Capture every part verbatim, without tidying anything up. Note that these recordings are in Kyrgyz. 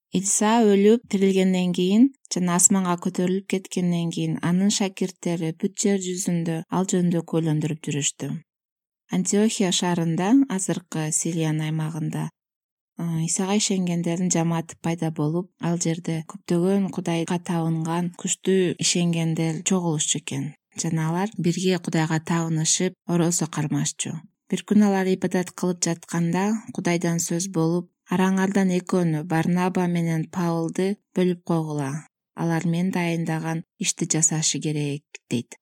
Иса өлүп тирилгенден кийин жана асманга көтөрүлүп кеткенден кийин анын шакирттери бүт жер жүзүндө ал жөнүндө көйлөндүрүп жүрүштү. Антиохия шаарында, азыркы Сириянын аймагында Исага ишенгендердин жамааты пайда болуп, ал жерде көптөгөн Кудайга табынган күчтүү ишенгендер чогулушчу экен жана алар бирге Кудайга табынышып, оросо кармашчу. Бир күнү алар ибадат кылып жатканда Кудайдан сөз болуп, араңардан экөөнү, Барнаба менен Павлды бөлүп койгула. Алар мен дайындаган ишти жасашы керек дейт.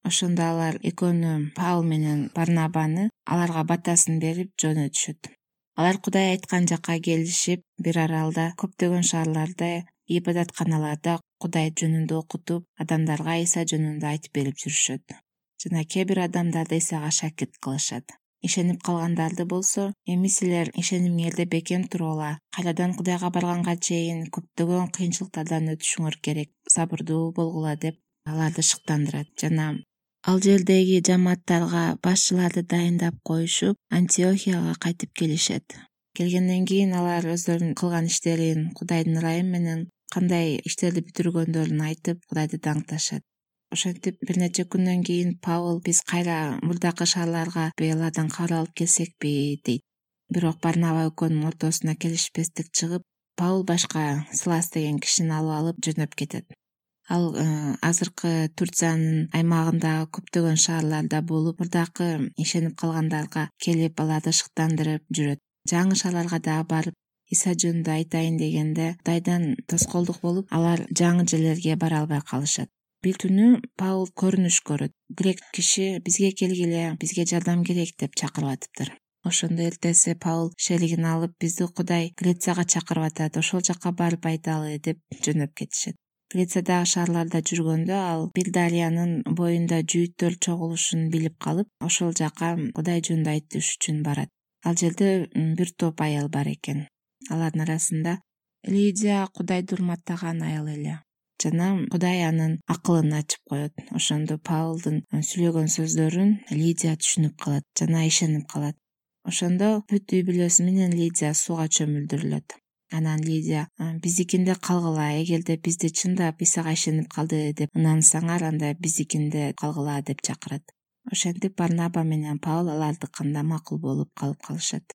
Ошондо алар экөөнү Павл менен Барнабаны аларга батасын берип жөнөтүшөт. Алар Кудай айткан жакка келишип, бир аралда көптөгөн шаарларда, ибадатканаларда Кудай жөнүндө окутуп, адамдарга Иса жөнүндө айтып берип жүрүшөт. Жана кээ бир адамдарды Исага шакирт кылышат. Ишенип калгандарды болсо, эми силер ишенимиңерде бекем тургула, кайрадан Кудайга барганга чейин көптөгөн кыйынчылыктардан өтүшүңөр керек, сабырдуу болгула деп аларды шыктандырат. Жана ал жердеги жамааттарга башчыларды дайындап коюшуп, Антиохияга кайтып келишет. Келгенден кийин алар өздөрүнүн кылган иштерин, Кудайдын ырайым менен кандай иштерди бүтүргөндөрүн айтып, Кудайды даңкташат. Ошентип бир нече күндөн кийин Павл биз кайра мурдакы шаарларга алардан кабар алып келсекпи дейт. Бирок Барнаба экөөнүн ортосуна келишпестик чыгып, Павл башка Силас деген кишини алып алып жөнөп кетет. Ал азыркы Турциянын аймагындагы көптөгөн шаарларда болуп, мурдакы ишенип калгандарга келип, аларды шыктандырып жүрөт. Жаңы шаарларга дагы барып, Иса жөнүндө айтайын дегенде Кудайдан тоскоолдук болуп, алар жаңы жерлерге бара албай калышат. Бир түнү Павл көрүнүш көрөт. Грек киши бизге келгиле, бизге жардам керек деп чакырып атыптыр. Ошондо эртеси Павл шелигин алып, бизди Кудай Грецияга чакырып атат, ошол жакка барып айталы деп жөнөп кетишет. Грециядагы шаарларда жүргөндө ал бир дарыянын боюнда жүйүттөр чогулушун билип калып, ошол жака Кудай жөнүндө айтыш үчүн барат. Ал жерде бир топ аял бар экен. Алардын арасында Лидия Кудайды урматтаган аял эле. Жана Кудай анын акылын ачып коет. Ошондо Павлдын сүйлөгөн сөздөрүн Лидия түшүнүп калат жана ишенип калат. Ошондо бүт үй бүлөсү менен Лидия сууга чөмүлдүрүлөт. Анан Лидия биздикинде калгыла, эгерде бизди чындап Исага ишенип калды деп ынансаңар, анда биздикинде калгыла деп чакырат. Ошентип Барнаба менен Павл алардыкында макул болуп калып калышат.